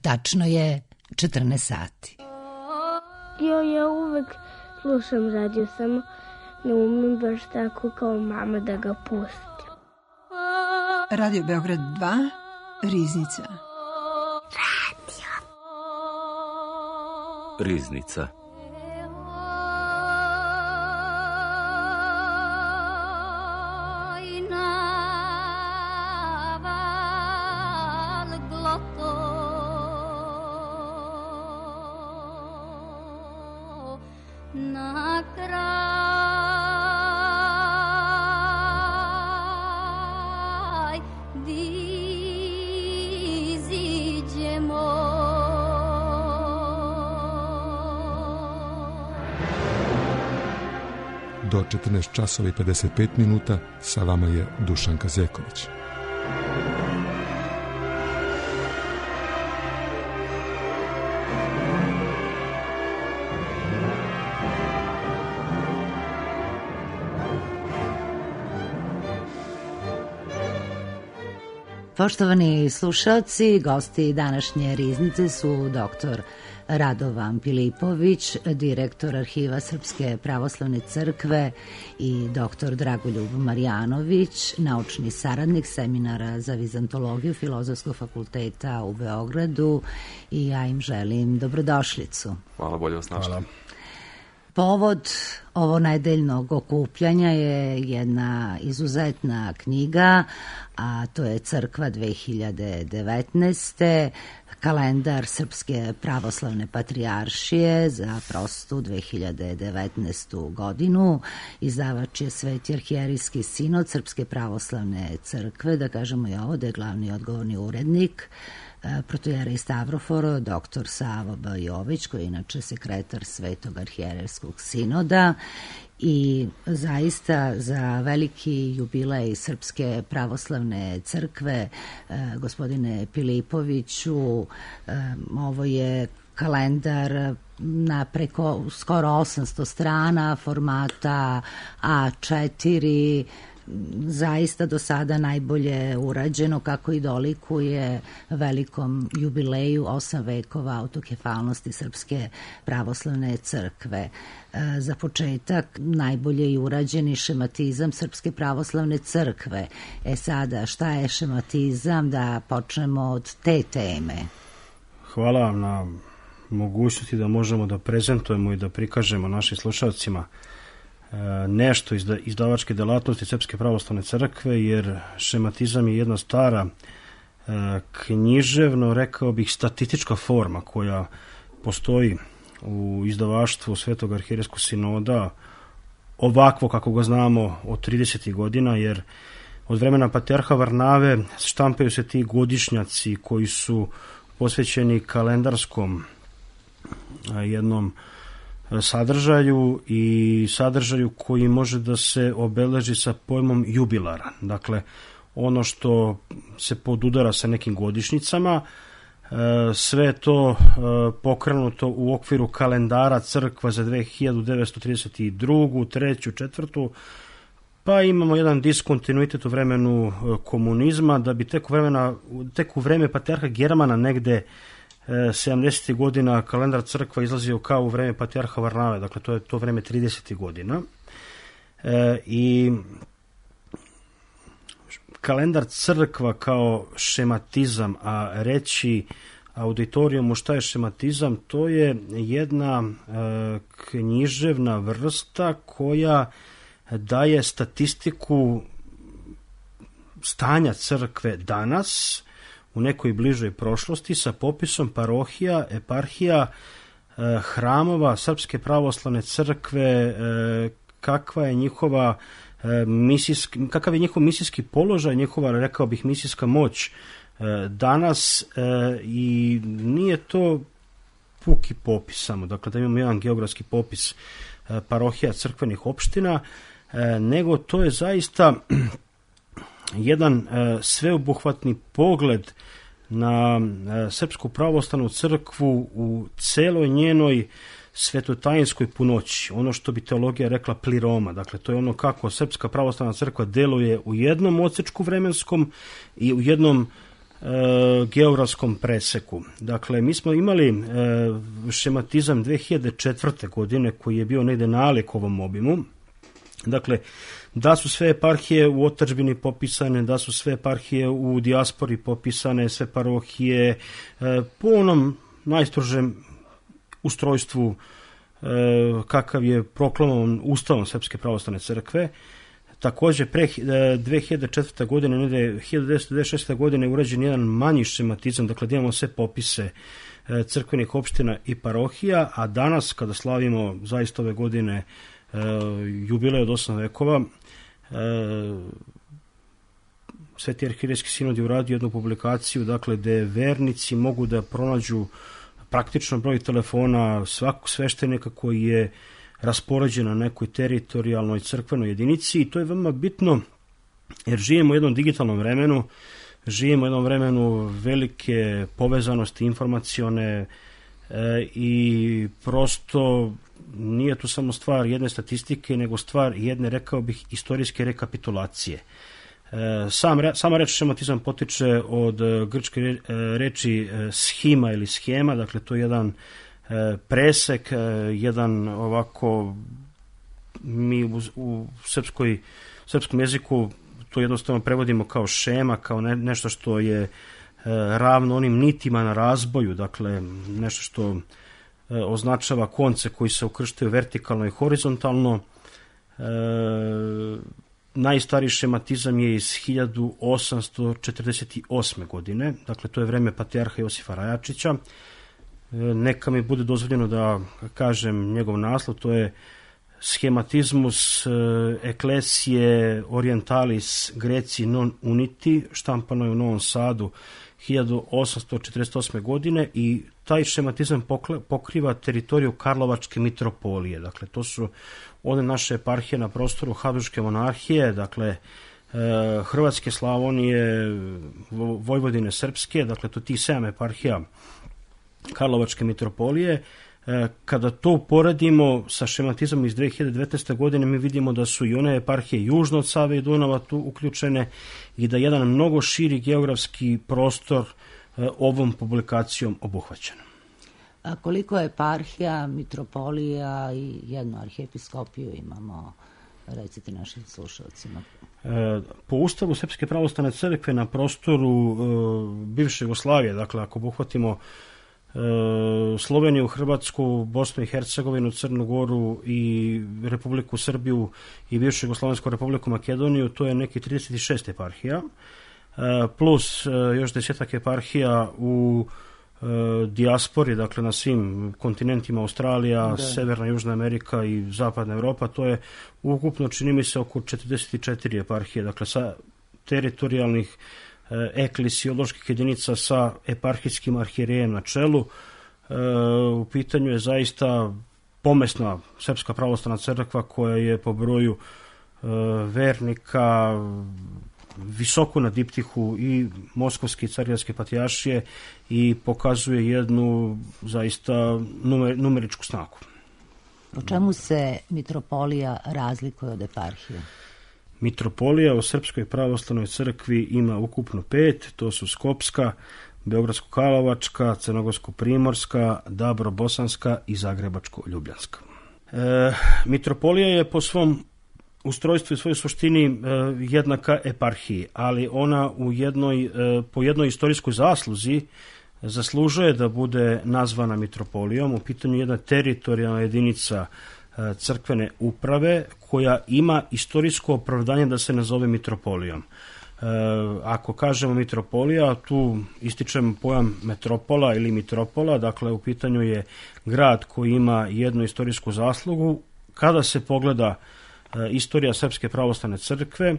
Tačno je 14 sati. Ja uvek slušam radio, samo ne umem baš tako kao mama da ga pustim. Radio Beograd 2, Riznica. Riznica. Do 14 časova i 55 minuta sa vama je Dušanka Zeković. Poštovani slušalci, gosti današnje Riznice su doktor Radovan Pilipović, direktor Arhiva Srpske pravoslavne crkve, i doktor Dragoljub Marjanović, naučni saradnik Seminara za vizantologiju Filozofskog fakulteta u Beogradu, i ja im želim dobrodošlicu. Hvala, bolje vas našli. Hvala. Povod ovo nedeljnog okupljanja je jedna izuzetna knjiga, a to je Crkva 2019. Kalendar Srpske pravoslavne patrijaršije za prostu 2019. godinu. Izdavač je Sveti arhijerijski sinod Srpske pravoslavne crkve, da kažemo i ovo, da je glavni odgovorni urednik protojerej Stavrofor, doktor Savo Bajović, koji je inače sekretar Svetog arhijerejskog sinoda. I zaista za veliki jubilej Srpske pravoslavne crkve, gospodine Pilipoviću, ovo je kalendar na preko skoro 800 strana, formata A4, zaista do sada najbolje urađeno, kako i dolikuje velikom jubileju 8 vekova autokefalnosti Srpske pravoslavne crkve. Za početak, najbolje i urađeni šematizam Srpske pravoslavne crkve. Sada, šta je šematizam? Da počnemo od te teme. Hvala vam na mogućnosti da možemo da prezentujemo i da prikažemo našim slušalcima nešto iz izdavačke delatnosti Srpske pravoslavne crkve, jer šematizam je jedna stara književno, rekao bih, statistička forma koja postoji u izdavaštvu Svetog arhijerejskog sinoda, ovakvo kako ga znamo od 30. godina, jer od vremena patrijarha Varnave štampaju se ti godišnjaci koji su posvećeni kalendarskom jednom sadržaju i sadržaju koji može da se obeleži sa pojmom jubilara. Dakle, ono što se podudara sa nekim godišnjicama, sve to pokrenuto u okviru kalendara crkva za 1932., 3., 4., pa imamo jedan diskontinuitet u vremenu komunizma, da bi tek u vreme patrijarha Germana negde 70. godina kalendar crkva izlazio kao u vreme patrijarha Varnave, dakle to je to vreme 30. godina. I kalendar crkva kao šematizam, a reći auditorijumu šta je šematizam, to je jedna književna vrsta koja daje statistiku stanja crkve danas, u nekoj bližoj prošlosti, sa popisom parohija, eparhija, hramova Srpske pravoslavne crkve, kakav je njihov misijski položaj, njihova, rekao bih, misijska moć danas, i nije to puki popis samo, dakle da imamo jedan geografski popis parohija, crkvenih opština, nego to je zaista jedan sveobuhvatni pogled na Srpsku pravoslavnu crkvu u celoj njenoj svetotajinskoj punoći, ono što bi teologija rekla pliroma, dakle to je ono kako Srpska pravoslavna crkva deluje u jednom odsečku vremenskom i u jednom geografskom preseku. Dakle, mi smo imali šematizam 2004. godine koji je bio negde nalik ovom obimu. Dakle, da su sve eparhije u otadžbini popisane, da su sve eparhije u dijaspori popisane, sve parohije po onom najstrožem ustrojstvu kakav je proklamovan Ustavom Srpske pravoslavne crkve. Takođe, pre 2004. godine, 1996. godine je urađen jedan manji šematizam, dakle da imamo sve popise crkvenih opština i parohija, a danas kada slavimo zaista ove godine jubilej od 8 vekova, Sveti arhijerejski sinod je uradio jednu publikaciju, dakle, gde vernici mogu da pronađu praktično broj telefona svakog sveštenika koji je raspoređen na nekoj teritorijalnoj crkvenoj jedinici, i to je veoma bitno jer živimo u jednom digitalnom vremenu, živimo u jednom vremenu velike povezanosti informacione i prosto nije tu samo stvar jedne statistike, nego stvar jedne, rekao bih, istorijske rekapitulacije. Sama reč šematizam potiče od grčke reči schima ili schema, dakle to je jedan presek, jedan ovako, mi u srpskom jeziku to jednostavno prevodimo kao šema, kao nešto što je ravno onim nitima na razboju, dakle nešto što označava konce koji se ukrštaju vertikalno i horizontalno. Najstariji šematizam je iz 1848. godine, dakle to je vreme patrijarha Josifa Rajačića. Neka mi bude dozvoljeno da kažem njegov naslov, to je Schematismus Ecclesiae Orientalis Greci non uniti, štampano je u Novom Sadu 1848. godine, i taj šematizam pokriva teritoriju Karlovačke mitropolije. Dakle, to su one naše eparhije na prostoru Habsburške monarhije, dakle, Hrvatske, Slavonije, Vojvodine, Srpske, dakle, to tih 7 eparhija Karlovačke mitropolije. Kada to poredimo sa šematizmom iz 2019. godine, mi vidimo da su i one eparhije južno od Save i Dunava tu uključene i da je jedan mnogo širi geografski prostor ovom publikacijom obuhvaćen. A koliko eparhija, mitropolija i jednu arhijepiskopiju imamo, recite našim slušalcima? Po Ustavu Srpske pravoslavne crkve na prostoru bivše Jugoslavije, dakle ako obuhvatimo Sloveniju, Hrvatsku, Bosnu i Hercegovinu, Crnu Goru i Republiku Srbiju i bivšu Jugoslavensku Republiku Makedoniju, to je neki 36 eparhija, plus još 10 eparhija u dijaspori, dakle na svim kontinentima, Australija, Severna, Južna Amerika i Zapadna Evropa, to je ukupno, čini mi se, oko 44 eparhije, dakle sa teritorijalnih eklesioloških jedinica sa eparhijskim arhijerejem na čelu. U pitanju je zaista pomesna Srpska pravoslavna crkva koja je po broju vernika visoko na diptihu i Moskovske i Carigradske patrijaršije i pokazuje jednu zaista numeričku snagu. Po čemu se mitropolija razlikuje od eparhije? Mitropolija u Srpskoj pravoslavnoj crkvi ima ukupno 5, to su Skopska, Beogradsko-Karlovačka, Crnogorsko-Primorska, Dabro-Bosanska i Zagrebačko-Ljubljanska. Mitropolija je po svom ustrojstvu i svojoj suštini jednaka eparhiji, ali ona po jednoj istorijskoj zasluzi zaslužuje da bude nazvana mitropolijom. U pitanju je jedna teritorijalna jedinica crkvene uprave koja ima istorijsko opravdanje da se nazove mitropolijom. Ako kažemo mitropolija, tu ističem pojam metropola ili mitropola, dakle u pitanju je grad koji ima jednu istorijsku zaslugu. Kada se pogleda istorija Srpske pravoslavne crkve,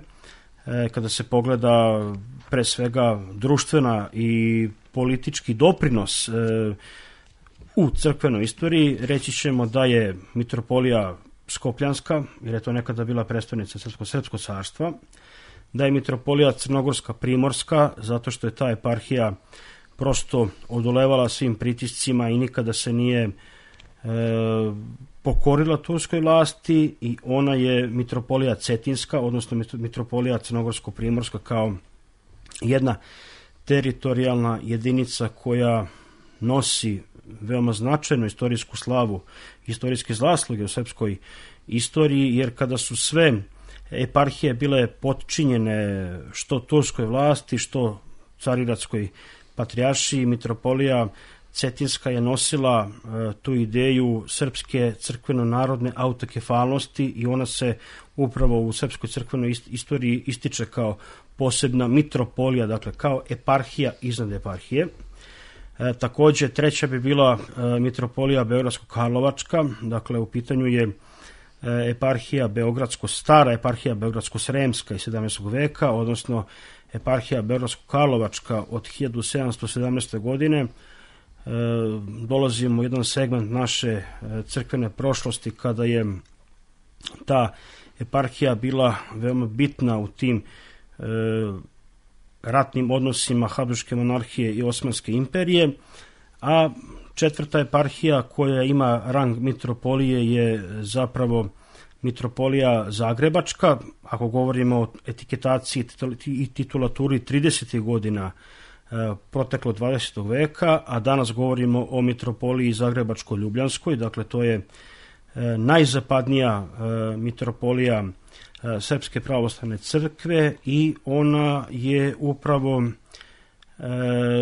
kada se pogleda pre svega društvena i politički doprinos u crkvenoj istoriji, reći ćemo da je mitropolija Skopljanska, jer je to nekada bila prestolnica Srpskog carstva, da je mitropolija Crnogorska Primorska, zato što je ta eparhija prosto odolevala svim pritiscima i nikada se nije pokorila turskoj vlasti, i ona je mitropolija Cetinska, odnosno mitropolija Crnogorsko-Primorska kao jedna teritorijalna jedinica koja nosi veoma značajnu istorijsku slavu, istorijske zasluge u srpskoj istoriji, jer kada su sve eparhije bile potčinjene što turskoj vlasti, što Carigradskoj patrijaršiji, mitropolija Cetinska je nosila tu ideju srpske crkveno-narodne autokefalnosti i ona se upravo u srpskoj crkvenoj istoriji ističe kao posebna mitropolija, dakle kao eparhija iznad eparhije. Takođe, treća bi bila mitropolija Beogradsko-Karlovačka, dakle u pitanju je eparhija stara eparhija Beogradsko-Sremska iz 17. veka, odnosno eparhija Beogradsko-Karlovačka od 1717. godine. Dolazimo u jedan segment naše crkvene prošlosti kada je ta eparhija bila veoma bitna u tim ratnim odnosima Habsburške monarhije i Osmanske imperije, a četvrta eparhija koja ima rang mitropolije je zapravo mitropolija Zagrebačka, ako govorimo o etiketaciji i titulaturi 30. godina proteklo 20. veka, a danas govorimo o mitropoliji Zagrebačko-Ljubljanskoj, dakle to je najzapadnija mitropolija Srpske pravoslavne crkve i ona je upravo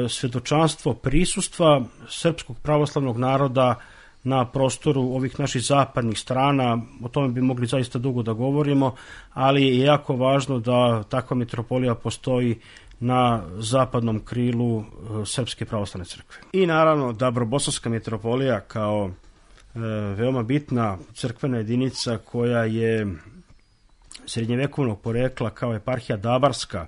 svedočanstvo prisustva srpskog pravoslavnog naroda na prostoru ovih naših zapadnih strana. O tome bi mogli zaista dugo da govorimo, ali je jako važno da takva mitropolija postoji na zapadnom krilu Srpske pravoslavne crkve. I naravno Dabrobosanska mitropolija kao veoma bitna crkvena jedinica koja je srednjevekovnog porekla kao eparhija Dabarska,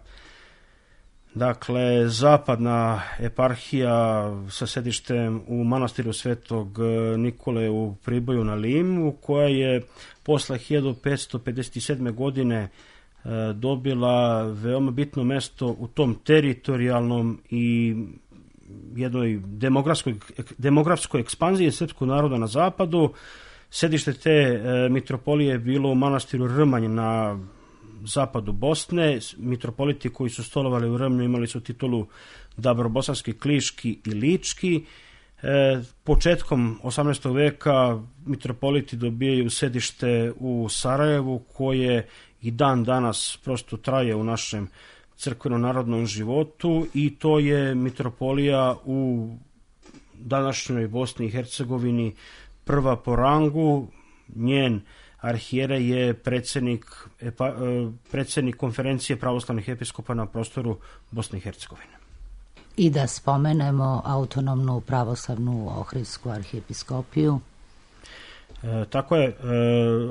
dakle zapadna eparhija sa sedištem u manastiru Svetog Nikole u Priboju na Limu, koja je posle 1557. godine dobila veoma bitno mesto u tom teritorijalnom i jednoj demografskoj ekspanziji srpskog naroda na zapadu. Sedište te mitropolije je bilo u manastiru Rmanj na zapadu Bosne. Mitropoliti koji su stolovali u Rmnju imali su titulu Dabrobosanski, Kliški i Lički. Početkom 18. veka mitropoliti dobijaju sedište u Sarajevu, koje i dan danas prosto traje u našem crkveno-narodnom životu, i to je mitropolija u današnjoj Bosni i Hercegovini prva po rangu. Njen arhijerej je predsjednik konferencije pravoslavnih episkopa na prostoru Bosne i Hercegovine. I da spomenemo autonomnu pravoslavnu Ohridsku arhijepiskopiju. Tako je,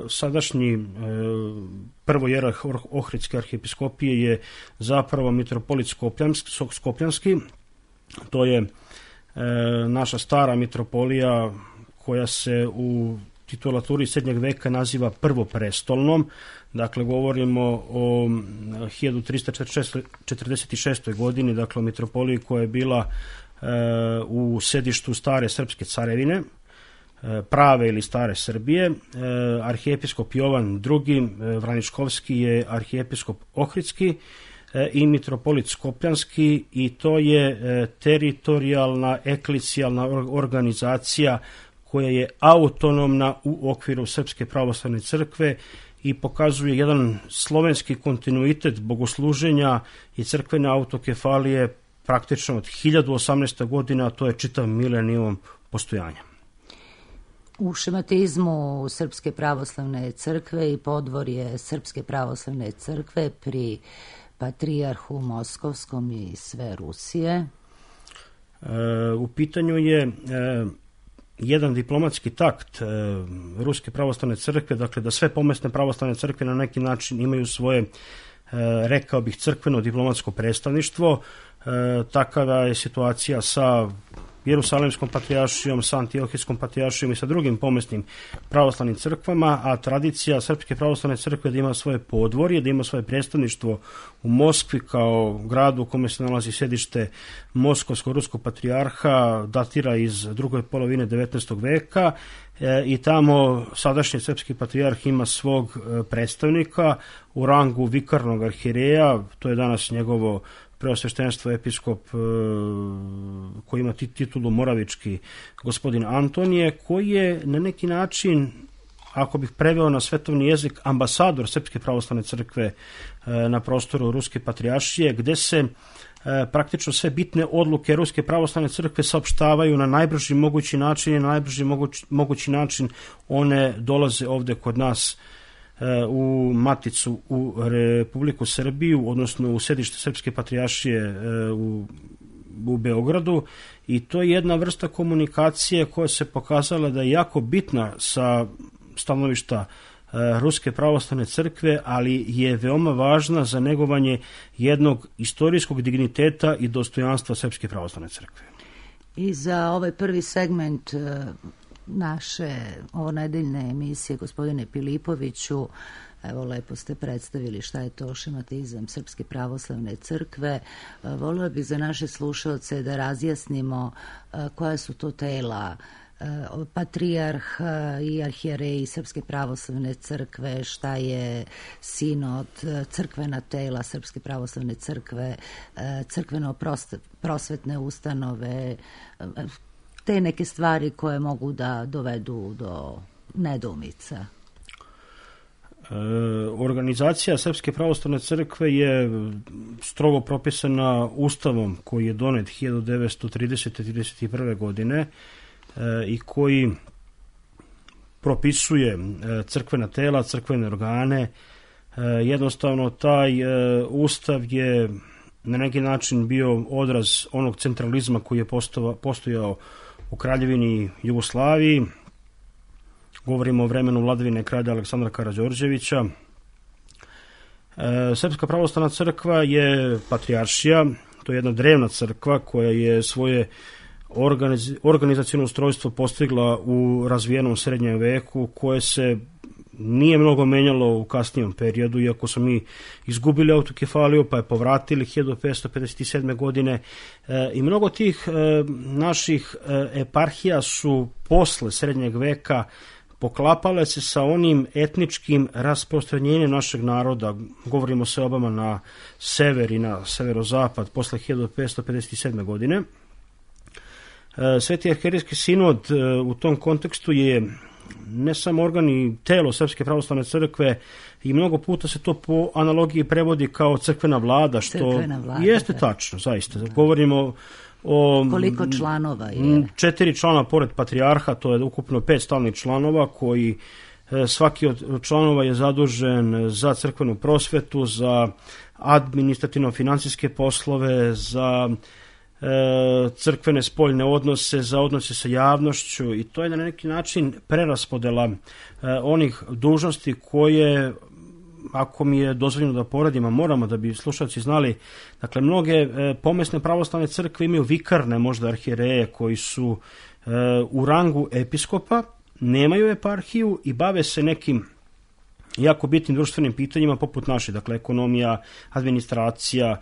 sadašnji prvojerarh Ohridske arhijepiskopije je zapravo mitropolit Skopljanski. To je naša stara mitropolija koja se u titulaturi srednjeg veka naziva prvoprestolnom. Dakle, govorimo o 1346. godini, dakle o mitropoliji koja je bila u sedištu stare srpske carevine, prave ili stare Srbije. Arhijepiskop Jovan II. Vraničkovski je arhijepiskop Ohridski i mitropolit Skopljanski, i to je teritorijalna eklesijalna organizacija koja je autonomna u okviru Srpske pravoslavne crkve i pokazuje jedan slovenski kontinuitet bogosluženja i crkvene autokefalije praktično od 1018. godina, a to je čitav milenijum postojanja. U šematizmu Srpske pravoslavne crkve i podvorje Srpske pravoslavne crkve pri Patrijarhu Moskovskom i sve Rusije. U pitanju je jedan diplomatski takt Ruske pravoslavne crkve, dakle da sve pomesne pravoslavne crkve na neki način imaju svoje, rekao bih, crkveno diplomatsko predstavništvo. Takava je situacija sa Jerusalimskom patrijaršijom, sa Antiohijskom patrijaršijom i sa drugim pomesnim pravoslavnim crkvama, a tradicija Srpske pravoslavne crkve da ima svoje podvorje, da ima svoje predstavništvo u Moskvi kao gradu u kome se nalazi sedište Moskovsko-ruskog patrijarha, datira iz druge polovine 19. veka, i tamo sadašnji srpski patrijarh ima svog predstavnika u rangu vikarnog arhijereja, to je danas njegovo preosveštenstvo episkop koji ima titulu moravički, gospodin Antonije, koji je na neki način, ako bih preveo na svetovni jezik, ambasador Srpske pravoslavne crkve na prostoru Ruske patrijaršije, gde se praktično sve bitne odluke Ruske pravoslavne crkve saopštavaju na najbrži mogući način i na najbrži mogući način one dolaze ovde kod nas u Maticu, u Republiku Srbiju, odnosno u sedište Srpske patrijaršije u Beogradu, i to je jedna vrsta komunikacije koja se pokazala da je jako bitna sa stanovišta Ruske pravoslavne crkve, ali je veoma važna za negovanje jednog istorijskog digniteta i dostojanstva Srpske pravoslavne crkve. I za ovaj prvi segment naše ovonedeljne emisije, gospodine Pilipoviću, evo, lepo ste predstavili šta je to šematizam Srpske pravoslavne crkve. Volila bih za naše slušalce da razjasnimo koja su to tela patrijarh i arhijereji Srpske pravoslavne crkve, šta je sinod, crkvena tela Srpske pravoslavne crkve, crkveno-prosvetne ustanove, te neke stvari koje mogu da dovedu do nedoumica. Organizacija Srpske pravoslavne crkve je strogo propisana Ustavom koji je donet 1930-31. godine i koji propisuje crkvena tela, crkvene organe. Jednostavno taj Ustav je na neki način bio odraz onog centralizma koji je postojao u Kraljevini Jugoslaviji. Govorimo o vremenu vladavine kralja Aleksandra Karađorđevića. Srpska pravoslavna crkva je patrijaršija, to je jedna drevna crkva koja je svoje organizaciono ustrojstvo postigla u razvijenom srednjem veku, koje se nije mnogo menjalo u kasnijem periodu, iako smo mi izgubili autokefaliju pa je povratili 1557. godine i mnogo tih naših eparhija su posle srednjeg veka poklapale se sa onim etničkim rasprostranjenjem našeg naroda. Govorimo se obama na sever i na severozapad posle 1557. godine. Sveti arhijerejski sinod u tom kontekstu je ne samo organ i telo Srpske pravoslavne crkve, i mnogo puta se to po analogiji prevodi kao crkvena vlada, što jeste tačno, zaista. Govorimo o koliko članova je? 4 člana pored patrijarha, to je ukupno 5 stalnih članova, koji svaki od članova je zadužen za crkvenu prosvetu, za administrativno-financijske poslove, za crkvene spoljne odnose, za odnose sa javnošću, i to je na neki način preraspodela onih dužnosti koje, ako mi je dozvoljeno da poredim, a moramo da bi slušalci znali, dakle, mnoge pomesne pravoslavne crkve imaju vikarne možda arhijereje koji su u rangu episkopa, nemaju eparhiju i bave se nekim jako bitnim društvenim pitanjima poput naše, dakle ekonomija, administracija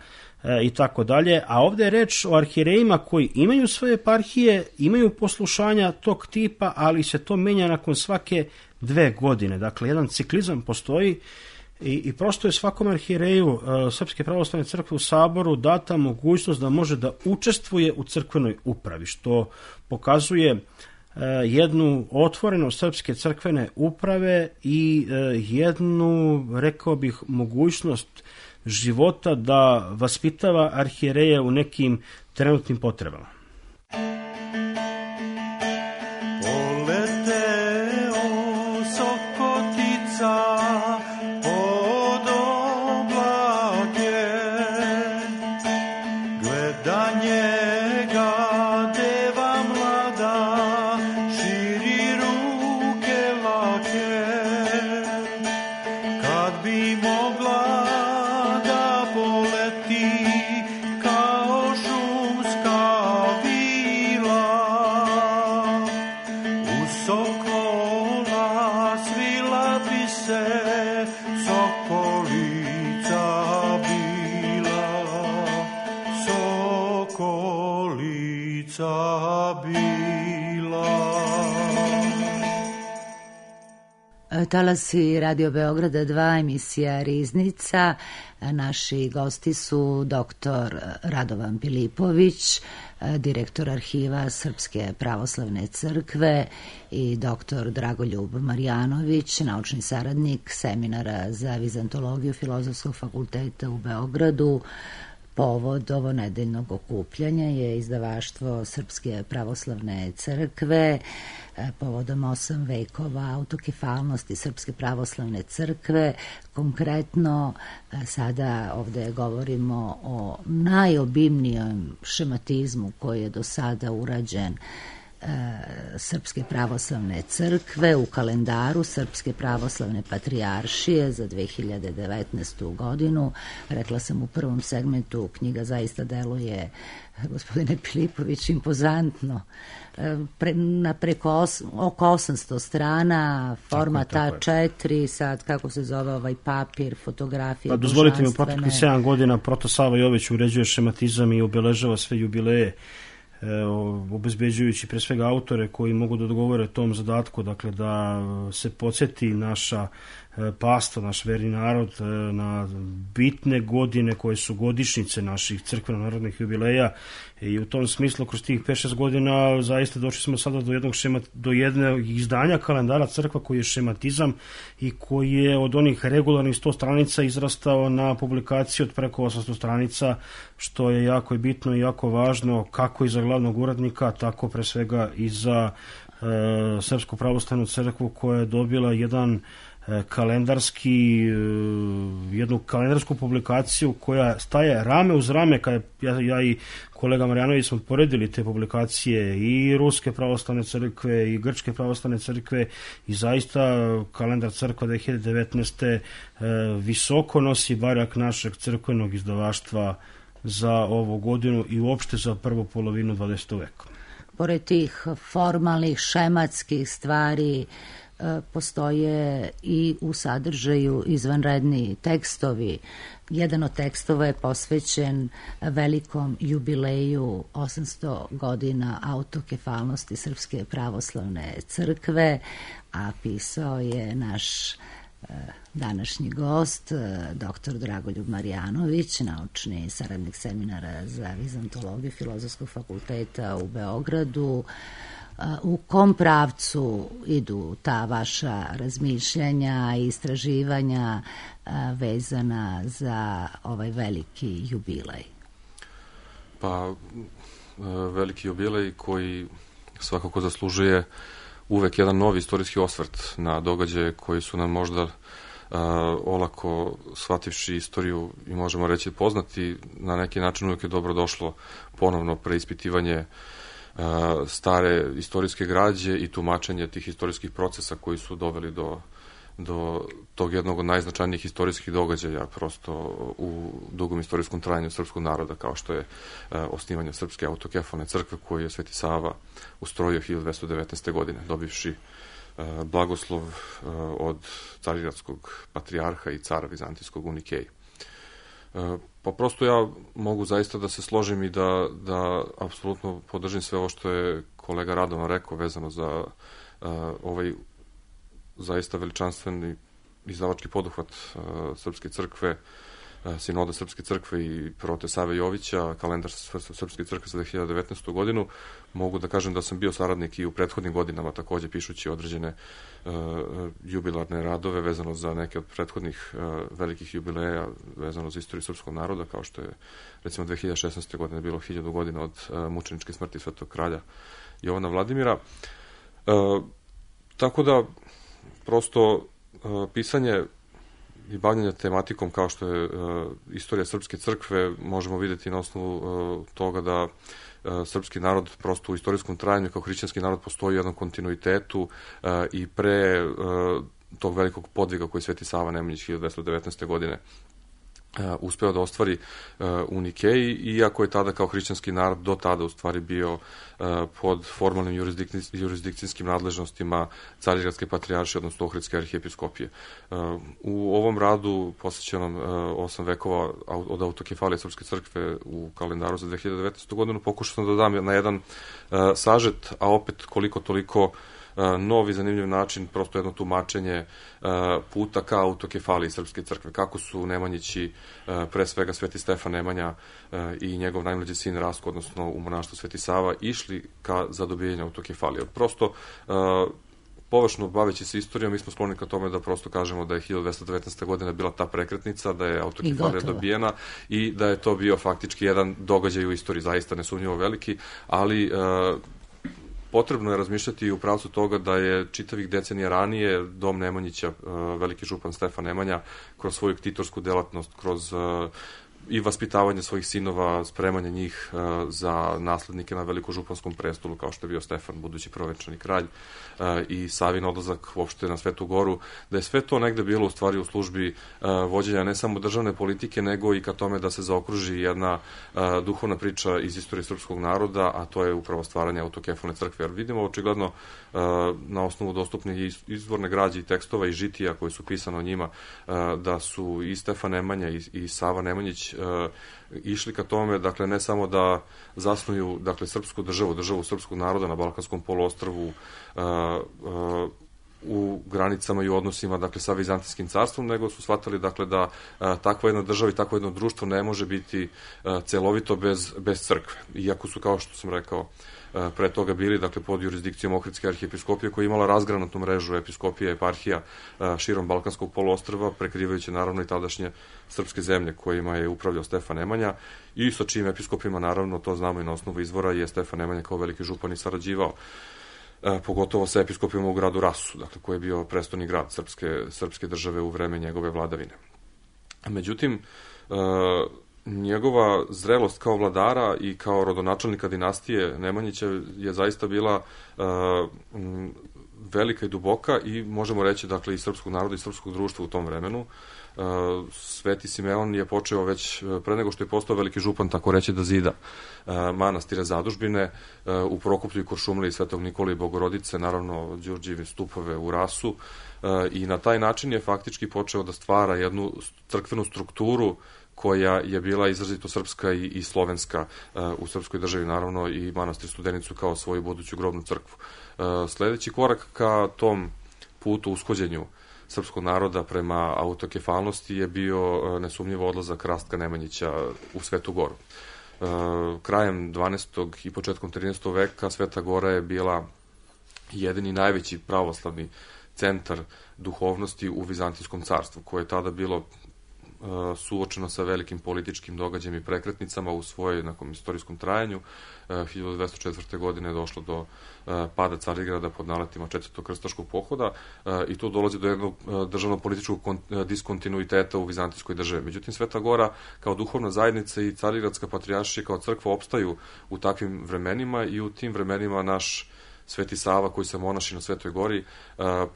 i tako dalje, a ovdje je reč o arhijerejima koji imaju svoje eparhije, imaju poslušanja tog tipa, ali se to menja nakon svake 2 godine. Dakle, jedan ciklizam postoji i prosto je svakom arhijereju Srpske pravoslavne crkve u Saboru data mogućnost da može da učestvuje u crkvenoj upravi, što pokazuje jednu otvorenost srpske crkvene uprave i jednu, rekao bih, mogućnost života da vaspitava arhijereje u nekim trenutnim potrebama. Talasi Radio Beograda 2, emisija Riznica. Naši gosti su dr. Radovan Pilipović, direktor arhiva Srpske pravoslavne crkve, i dr. Dragoljub Marjanović, naučni saradnik seminara za vizantologiju Filozofskog fakulteta u Beogradu. Povod ovo nedeljnog okupljanja je izdavaštvo Srpske pravoslavne crkve povodom 8 vekova autokefalnosti Srpske pravoslavne crkve. Konkretno sada ovde govorimo o najobimnijem šematizmu koji je do sada urađen Srpske pravoslavne crkve u kalendaru Srpske pravoslavne patrijaršije za 2019. godinu. Rekla sam u prvom segmentu, knjiga zaista deluje, gospodine Pilipović, impozantno. Na preko oko 800 strana, format A4, sad kako se zove ovaj papir, fotografije. Pa dozvolite mi, u proteklih 7 godina Proto Sava Jović uređuje šematizam i obeležava sve jubileje, obezbeđujući pre svega autore koji mogu da odgovore tom zadatku, dakle da se podsjeti naša pasta, naš verni narod na bitne godine koje su godišnjice naših crkveno-narodnih jubileja, i u tom smislu kroz tih 5-6 godina zaista došli smo sada do jednog izdanja kalendara crkva koji je šematizam i koji je od onih regularnih 100 stranica izrastao na publikaciju od preko 800 stranica, što je jako bitno i jako važno kako i za glavnog urednika, tako pre svega i za Srpsku pravoslavnu crkvu, koja je dobila jednu kalendarsku publikaciju koja staje rame uz rame. Kad ja i kolega Marjanović smo poredili te publikacije i Ruske pravoslavne crkve i Grčke pravoslavne crkve, i zaista kalendar crkva 2019. Visoko nosi barak našeg crkvenog izdavaštva za ovu godinu i uopšte za prvu polovinu 20. veka. Pored tih formalnih, šematskih stvari, postoje i u sadržaju izvanredni tekstovi. Jedan od tekstova je posvećen velikom jubileju 800 godina autokefalnosti Srpske pravoslavne crkve, a pisao je naš današnji gost, dr. Dragoljub Marjanović, naučni saradnik seminara za vizantologiju Filozofskog fakulteta u Beogradu. U kom pravcu idu ta vaša razmišljanja i istraživanja vezana za ovaj veliki jubilej? Pa, veliki jubilej koji svakako zaslužuje uvek jedan novi istorijski osvrt na događaje koji su nam možda olako shvativši istoriju i možemo reći poznati, na neki način uvek je dobro došlo ponovno preispitivanje stare istorijske građe i tumačenje tih istorijskih procesa koji su doveli do tog jednog od najznačajnijih istorijskih događaja prosto u dugom istorijskom trajanju srpskog naroda, kao što je osnivanje Srpske autokefalne crkve koju je Sveti Sava ustrojio 1219. godine, dobivši blagoslov od carigradskog patrijarha i cara vizantijskog u Nikeji. Pa prosto ja mogu zaista da se složim i da apsolutno podržim sve ovo što je kolega Radovan rekao vezano za ovaj zaista veličanstveni izdavački poduhvat Srpske crkve, Sinoda Srpske crkve i Prote Save Jovića, kalendar Srpske crkve za 2019. godinu. Mogu da kažem da sam bio saradnik i u prethodnim godinama, takođe pišući određene jubilarne radove vezano za neke od prethodnih velikih jubileja vezano za istoriju srpskog naroda, kao što je recimo 2016. godine bilo 1000 godina od mučeničke smrti svetog kralja Jovana Vladimira. Tako da prosto pisanje i bavljanje tematikom kao što je istorija Srpske crkve možemo videti na osnovu toga da srpski narod prosto u istorijskom trajanju kao hrišćanski narod postoji u jednom kontinuitetu i pre tog velikog podviga koji Sveti Sava Nemanjić 1219. godine uspeo da ostvari u Nikeji, iako je tada kao hrišćanski narod do tada u stvari bio pod formalnim jurisdikcijskim nadležnostima Carigradske patrijaršije, odnosno Ohridske arhijepiskopije. U ovom radu, posvećenom 8 vekova od autokefalije Srpske crkve u kalendaru za 2019. godinu, pokušao sam da dam na jedan sažet, a opet koliko toliko novi zanimljiv način, prosto jedno tumačenje puta ka autokefaliji Srpske crkve. Kako su Nemanjići, pre svega Sveti Stefan Nemanja i njegov najmlađi sin Rastko, odnosno u monaštvu Sveti Sava, išli ka zadobijenju autokefalije. Prosto, površno baveći se istorijom, mi smo skloni ka tome da prosto kažemo da je 1219. godina bila ta prekretnica, da je autokefalija dobijena i da je to bio faktički jedan događaj u istoriji, zaista nesumnjivo veliki, ali potrebno je razmišljati i u pravcu toga da je čitavih decenija ranije dom Nemanjića, veliki župan Stefan Nemanja, kroz svoju ktitorsku delatnost, kroz i vaspitavanje svojih sinova, spremanje njih za naslednike na velikožupanskom prestolu, kao što je bio Stefan, budući prvenčani kralj, i Savin odlazak uopšte na Svetu Goru, da je sve to negde bilo u stvari u službi vođenja ne samo državne politike, nego i ka tome da se zaokruži jedna duhovna priča iz istorije srpskog naroda, a to je upravo stvaranje autokefalne crkve. Jer vidimo očigledno na osnovu dostupnih izvorne građe i tekstova i žitija koji su pisane o njima, da su i Stefan Nemanja i Sava Nemanjić išli ka tome, dakle, ne samo da zasnuju, dakle, srpsku državu srpskog naroda na Balkanskom poluostrvu u granicama i u odnosima, dakle, sa Vizantijskim carstvom, nego su shvatili, dakle, da takva jedna država i takvo jedno društvo ne može biti celovito bez crkve. Iako su, kao što sam rekao, pre toga bili, dakle, pod jurisdikcijom Ohridske arhijepiskopije, koja je imala razgranatu mrežu episkopija i eparhija širom Balkanskog poluostrva, prekrivajući naravno i tadašnje srpske zemlje kojima je upravljao Stefan Nemanja i sa čijim episkopima, naravno, to znamo i na osnovu izvora, je Stefan Nemanja kao veliki župan i sarađivao, pogotovo sa episkopima u gradu Rasu, dakle, koji je bio prestolni grad srpske države u vreme njegove vladavine. Međutim, njegova zrelost kao vladara i kao rodonačelnika dinastije Nemanjića je zaista bila velika i duboka i možemo reći, dakle, i srpskog naroda i srpskog društva u tom vremenu. Sveti Simeon je počeo već pre nego što je postao veliki župan, tako reći, da zida manastire zadužbine u Prokuplju i Kuršumliji, Svetog Nikole i Bogorodice, naravno Đurđijeve stupove u Rasu, i na taj način je faktički počeo da stvara jednu crkvenu strukturu koja je bila izrazito srpska i slovenska u srpskoj državi, naravno i manastir Studenicu kao svoju buduću grobnu crkvu. Sledeći korak ka tom putu ushođenju srpskog naroda prema autokefalnosti je bio nesumnjivo odlazak Rastka Nemanjića u Svetu Goru. Krajem 12. i početkom 13. veka Sveta Gora je bila jedini najveći pravoslavni centar duhovnosti u Vizantijskom carstvu, koje je tada bilo suočeno sa velikim političkim događajem i prekretnicama u svojoj nekom istorijskom trajanju. 1204. godine je došlo do pada Carigrada pod naletima Četvrtog krstaškog pohoda i tu dolazi do jednog državno-političkog diskontinuiteta u Vizantijskoj državi. Međutim, Sveta Gora kao duhovna zajednica i Carigradska patrijaršija kao crkva opstaju u takvim vremenima i u tim vremenima naš Sveti Sava, koji se monaši na Svetoj Gori,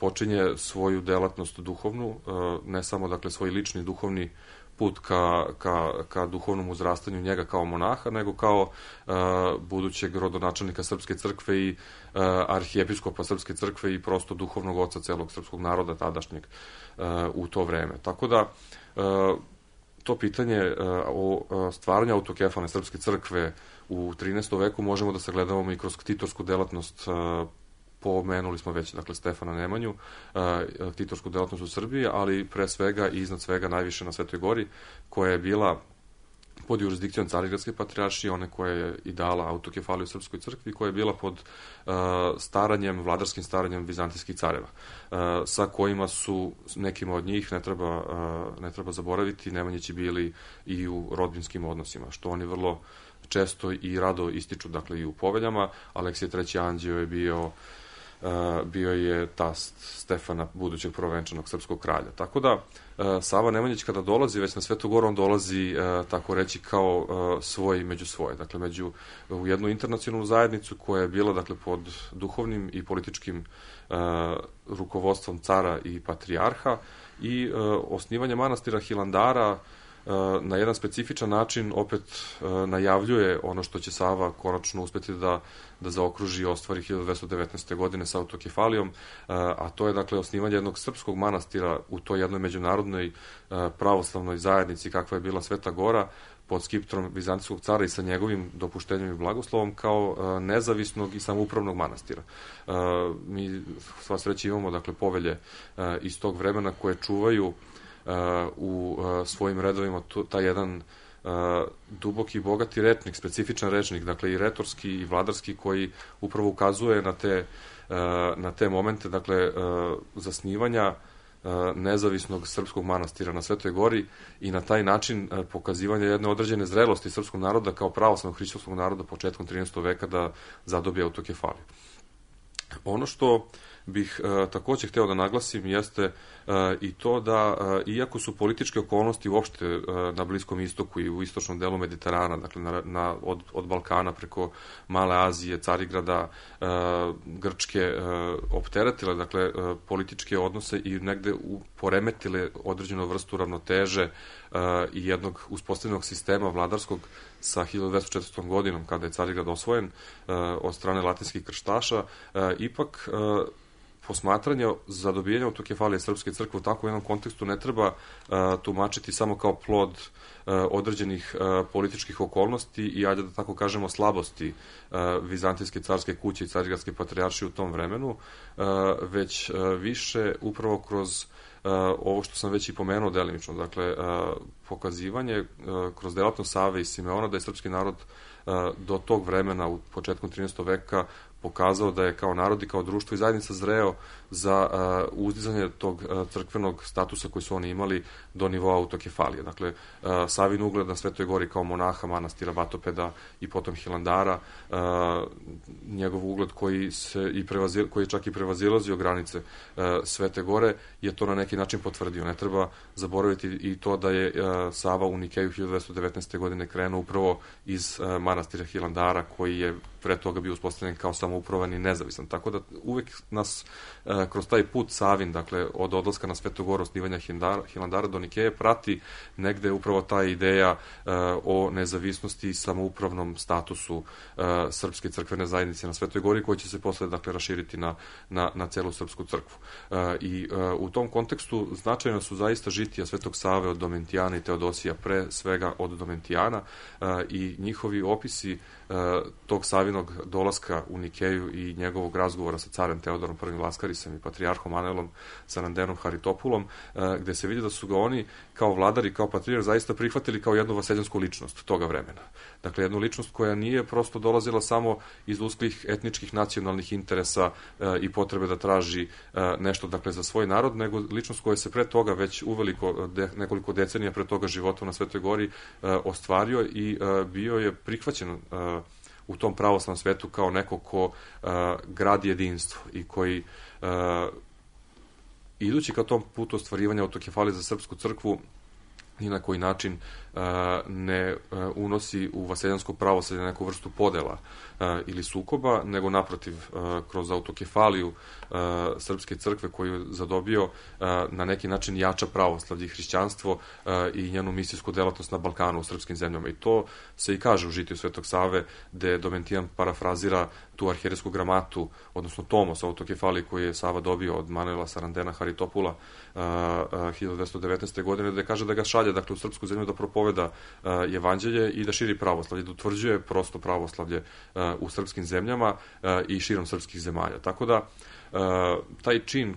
počinje svoju delatnost duhovnu, ne samo, dakle, svoj lični duhovni put ka duhovnom uzrastanju njega kao monaha, nego kao budućeg rodonačelnika Srpske crkve i arhijepiskopa Srpske crkve i prosto duhovnog oca celog srpskog naroda tadašnjeg u to vreme. Tako da, to pitanje o stvaranju autokefalne Srpske crkve u 13. veku možemo da sagledavamo i kroz ktitorsku delatnost. Pomenuli smo već, dakle, Stefana Nemanju, ktitorsku delatnost u Srbiji, ali pre svega i iznad svega najviše na Svetoj Gori, koja je bila pod jurisdikcijom Carigradske patrijaršije, one koja je i dala autokefaliju Srpskoj crkvi, koja je bila pod vladarskim staranjem vizantijskih careva, sa kojima su nekima od njih, ne treba zaboraviti, Nemanjići bili i u rodbinskim odnosima, što oni vrlo često i rado ističu, dakle, i u poveljama. Aleksije III. Anđeo je bio je tast Stefana, budućeg prvovenčanog srpskog kralja. Tako da, Sava Nemanjić kada dolazi već na Svetu Goru, on dolazi, tako reći, kao svoj među svoje. Dakle, u jednu internacionalnu zajednicu koja je bila, dakle, pod duhovnim i političkim rukovodstvom cara i patrijarha i osnivanje manastira Hilandara na jedan specifičan način opet najavljuje ono što će Sava konačno uspeti da zaokruži i ostvari 1219. godine sa autokefalijom, a to je, dakle, osnivanje jednog srpskog manastira u toj jednoj međunarodnoj pravoslavnoj zajednici kakva je bila Sveta Gora, pod skiptrom vizantijskog cara i sa njegovim dopuštenjem i blagoslovom kao nezavisnog i samoupravnog manastira. Mi sva sreća imamo dakle povelje iz tog vremena koje čuvaju u svojim redovima taj jedan duboki i bogati rečnik, specifičan rečnik, dakle i retorski i vladarski, koji upravo ukazuje na te momente, dakle zasnivanja nezavisnog srpskog manastira na Svetoj Gori i na taj način pokazivanja jedne određene zrelosti srpskog naroda kao pravoslavnog hrišćanskog naroda početkom 13. veka da zadobije autokefaliju. Ono što bih takođe hteo da naglasim jeste i to da, iako su političke okolnosti uopšte na Bliskom istoku i u istočnom delu Mediterana, dakle od Balkana preko Male Azije, Carigrada, Grčke, opteretile dakle političke odnose i negde poremetile određenu vrstu ravnoteže i jednog uspostavljenog sistema vladarskog sa 1204. godinom, kada je Carigrad osvojen od strane latinskih krštaša, ipak posmatranje za dobijanje autokefalije Srpske crkve u takvom jednom kontekstu ne treba tumačiti samo kao plod određenih političkih okolnosti i, ajde da tako kažemo, slabosti Vizantijske carske kuće i Carigradske patrijaršije u tom vremenu, već više upravo kroz ovo što sam već i pomenuo delimično, dakle, pokazivanje kroz delatnost Save i Simeona da je srpski narod do tog vremena, u početkom 13. veka, pokazao da je kao narod i kao društvo i zajednica zreo za uzdizanje tog crkvenog statusa koji su oni imali do nivoa autokefalije. Dakle, Savin ugled na Svetoj Gori kao monaha manastira Batopeda i potom Hilandara, njegov ugled koji je čak i prevazilazio granice Svete Gore, je to na neki način potvrdio. Ne treba zaboraviti i to da je Sava u Nikeju 1219. godine krenuo upravo iz manastira Hilandara, koji je pre toga bio uspostavljen kao samoupravan i nezavisan. Tako da uvek nas kroz taj put Savin, dakle od odlaska na Svetu Goru, osnivanja Hilandara do Nikeje, prati negde upravo ta ideja o nezavisnosti i samoupravnom statusu srpske crkvene zajednice na Svetoj Gori, koji će se posle dakle raširiti na celu srpsku crkvu. I u tom kontekstu značajno su zaista žitija Svetog Save od Domentijana i Teodosija, pre svega od Domentijana, i njihovi opisi tog Savinog dolaska u Nikeju i njegovog razgovora sa carem Teodorom I Laskarisem i patrijarhom Anelom Sarandenom Haritopulom, gde se vidi da su ga oni kao vladari, kao patrijarh zaista prihvatili kao jednu vaseljansku ličnost toga vremena. Dakle, jednu ličnost koja nije prosto dolazila samo iz usklih etničkih nacionalnih interesa i potrebe da traži nešto dakle za svoj narod, nego ličnost koja se pre toga već uveliko, nekoliko decenija pre toga života na Svetoj Gori ostvario i bio je prihvaćen u tom pravoslavnom svetu kao neko ko gradi jedinstvo i koji idući ka tom putu ostvarivanja autokefalije za srpsku crkvu ni na koji način ne unosi u vaseljansko pravoslavlje neku vrstu podela ili sukoba, nego naprotiv, kroz autokefaliju Srpske crkve koju zadobio, na neki način jača pravoslavlje i hrišćanstvo i njenu misijsku delatnost na Balkanu, u srpskim zemljama. I to se i kaže u žitiju Svetog Save, gde Domentijan parafrazira tu arhijerejsku gramatu, odnosno tomos autokefalije koji je Sava dobio od Manuela Sarandena Haritopula 1219. godine, gde kaže da ga šalje dakle u srpsku zemlju da propoveda evanđelje i da širi pravoslavlje, da utvrđuje prosto pravoslavlje u srpskim zemljama i širom srpskih zemalja. Tako da taj čin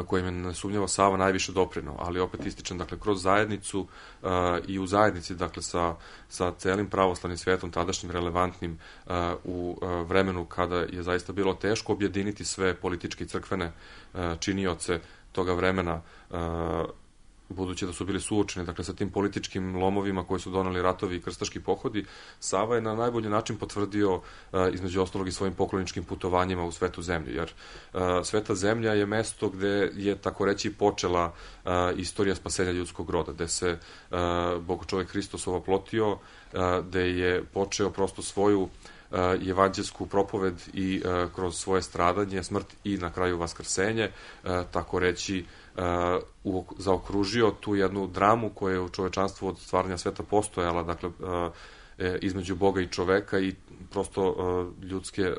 kojim je nesumnjivo Sava najviše doprineo, ali opet ističem, dakle, kroz zajednicu i u zajednici, dakle, sa celim pravoslavnim svetom, tadašnjim relevantnim u vremenu kada je zaista bilo teško objediniti sve političke i crkvene činioce toga vremena, budući da su bili suočeni, dakle, sa tim političkim lomovima koji su doneli ratovi i krstaški pohodi. Sava je na najbolji način potvrdio, između ostalog, i svojim pokloničkim putovanjima u Svetu zemlju, jer Sveta zemlja je mesto gde je, tako reći, počela istorija spasenja ljudskog roda, gde se Bog čovek Hristos ovoplotio, gde je počeo prosto svoju evanđelsku propoved i kroz svoje stradanje, smrt i na kraju vaskrsenje, tako reći, zaokružio tu jednu dramu koja je u čovečanstvu od stvaranja sveta postojala, dakle, između Boga i čoveka i prosto ljudske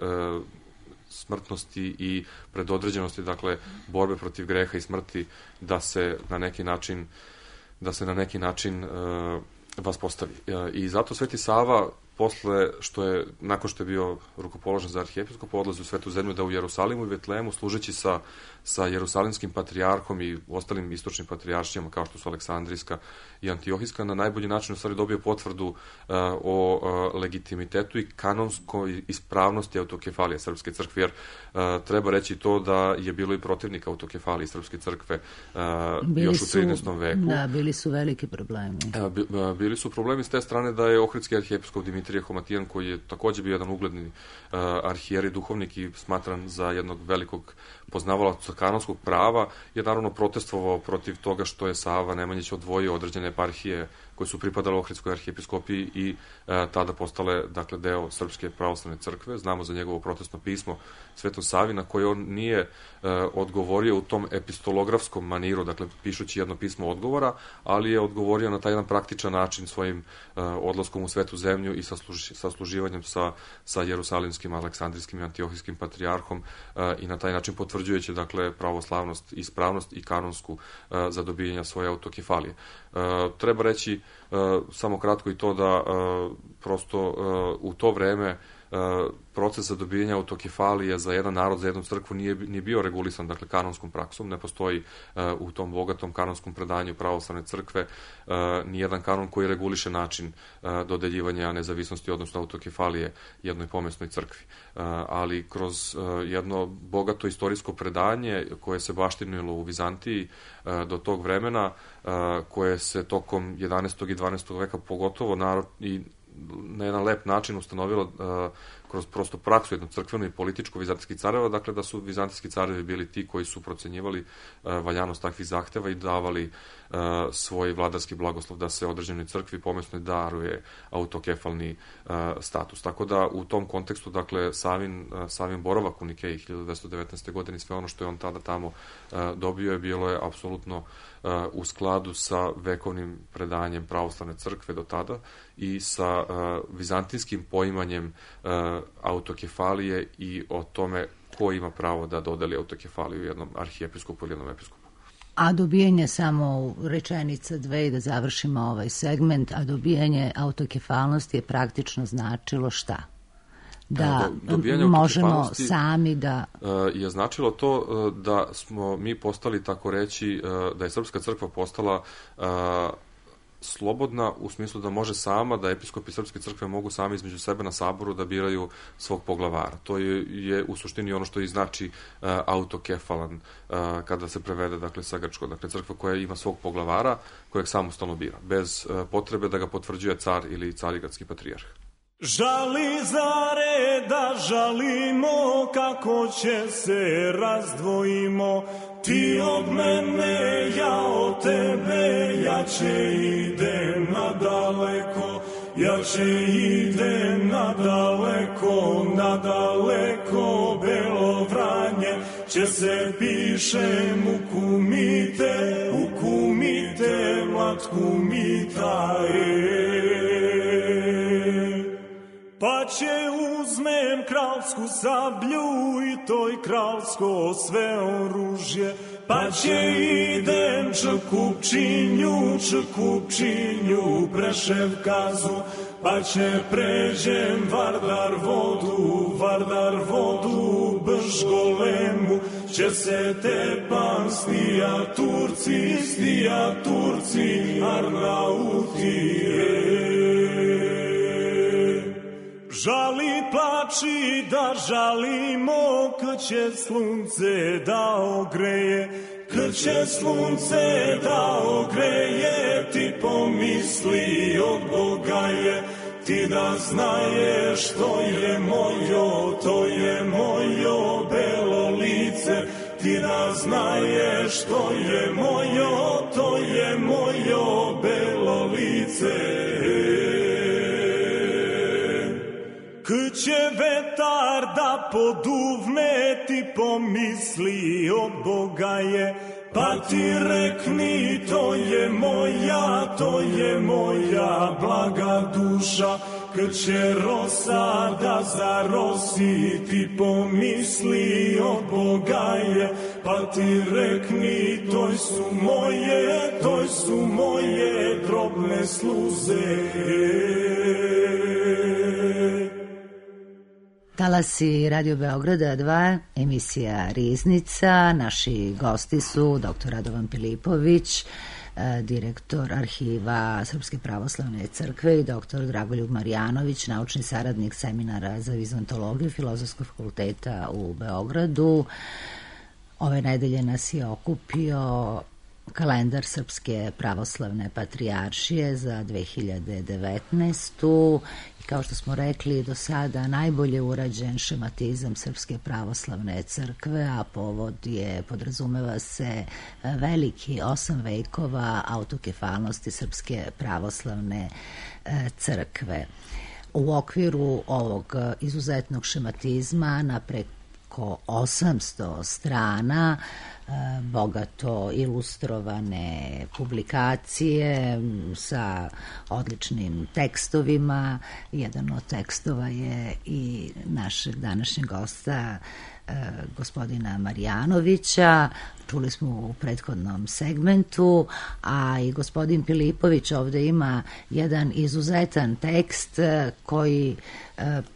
smrtnosti i predodređenosti, dakle, borbe protiv greha i smrti, da se na neki način vas postavi. I zato Sveti Sava, nakon što je bio rukopoložen za arhijepiskopa, odlazi u Svetu zemlju da u Jerusalimu i Betlehemu, služeći sa jerusalimskim patrijarhom i ostalim istočnim patrijaršijama, kao što su Aleksandrijska i Antiohijska, na najbolji način u stvari dobio potvrdu o legitimitetu i kanonskoj ispravnosti autokefalije Srpske crkve, jer treba reći to da je bilo i protivnika autokefalije Srpske crkve još u 13. veku. Da, bili su veliki problemi. Bili su problemi s te strane da je ohridski arhijepiskop Dimitrije Homatijan, koji je takođe bio jedan ugledni arhijerij, duhovnik i smatran za jednog velikog poznavalaca kanonskog prava, je naravno protestovao protiv toga što je Sava Nemanjić odvojio određene eparhije koje su pripadale ohridskoj arhijepiskopiji i tada postale, dakle, deo Srpske pravoslavne crkve. Znamo za njegovo protestno pismo Svetom Savi, na koje on nije odgovorio u tom epistolografskom maniru, dakle, pišući jedno pismo odgovora, ali je odgovorio na taj jedan praktičan način svojim odlaskom u Svetu zemlju i sasluživanjem sa jerusalimskim, aleksandrijskim i antiohijskim patrijarhom i na taj način potvrđujući, dakle, pravoslavnost, ispravnost i kanonsku za dobijanje svoje autokefalije. Treba reći samo kratko i to da prosto u to vreme proces za dobijanje autokefalije za jedan narod, za jednu crkvu nije bio regulisan, dakle, kanonskom praksom. Ne postoji u tom bogatom kanonskom predanju pravoslavne crkve nijedan kanon koji reguliše način dodeljivanja nezavisnosti, odnosno autokefalije jednoj pomesnoj crkvi. Ali kroz jedno bogato istorijsko predanje koje se baštinilo u Vizantiji do tog vremena, koje se tokom 11. i 12. veka pogotovo i na jedan lep način ustanovilo kroz prosto praksu jednu crkvenu i političku vizantijskih careva, dakle da su vizantijski carevi bili ti koji su procenjivali valjanost takvih zahteva i davali svoj vladarski blagoslov da se određenoj crkvi pomesnoj daruje autokefalni status. Tako da u tom kontekstu, dakle, Savin boravak u Nikeji 1919. godine i sve ono što je on tada tamo dobio bilo je apsolutno u skladu sa vekovnim predanjem pravoslavne crkve do tada i sa vizantijskim poimanjem autokefalije i o tome ko ima pravo da dodeli autokefaliju jednom arhijepiskopu ili jednom episkopu. A dobijanje, samo rečenica dve i da završimo ovaj segment, a dobijanje autokefalnosti je praktično značilo šta? Da možemo sami da... je značilo to da smo mi postali, tako reći, da je Srpska crkva postala slobodna u smislu da može sama, da episkopi Srpske crkve mogu sami između sebe na saboru da biraju svog poglavara. To je u suštini ono što i znači autokefalan kada se prevede, dakle, sa grčkog. Dakle, crkva koja ima svog poglavara kojeg samostalno bira, bez potrebe da ga potvrđuje car ili carigradski patrijarh. Žali zare da žalimo, kako će se razdvojimo, ti od mene, ja od tebe, jače idem nadaleko, jače idem nadaleko, nadaleko, Belo Vranje, će se pišem u kumite, matku mita, pa će uzmem kralsku sablju i toj kralsko sve oružje, pa će idem Čekupčinju, Preševkazu, pa će pređem Vardar vodu, Bržgolemu, će se tepan stija Turci, Arnautije. Žali plači da žalimo, kad će slunce da ogreje, kad će slunce da ogreje, ti pomisli od Boga je, ti da znaješ to je mojo belo lice, ti da znaješ to je mojo belo lice. Kad će vetar da poduvne, ti pomisli od Boga je, pa ti rekni to je moja blaga duša. Kad će rosa da zarosi, ti pomisli od Boga je, pa ti rekni, toj su moje drobne sluze. Talasi Radio Beograda 2, emisija Riznica. Naši gosti su dr. Radovan Pilipović, direktor arhiva Srpske pravoslavne crkve, i dr. Dragoljub Marjanović, naučni saradnik seminara za vizantologiju Filozofskog fakulteta u Beogradu. Ove nedelje nas je okupio kalendar Srpske pravoslavne patrijaršije za 2019. I kao što smo rekli, do sada najbolje urađen šematizam Srpske pravoslavne crkve, a povod je, podrazumeva se, veliki 8 vekova autokefalnosti Srpske pravoslavne crkve. U okviru ovog izuzetnog šematizma na preko 800 strana, bogato ilustrovane publikacije sa odličnim tekstovima. Jedan od tekstova je i našeg današnjeg gosta, gospodina Marjanovića. Čuli smo u prethodnom segmentu, a i gospodin Pilipović ovde ima jedan izuzetan tekst koji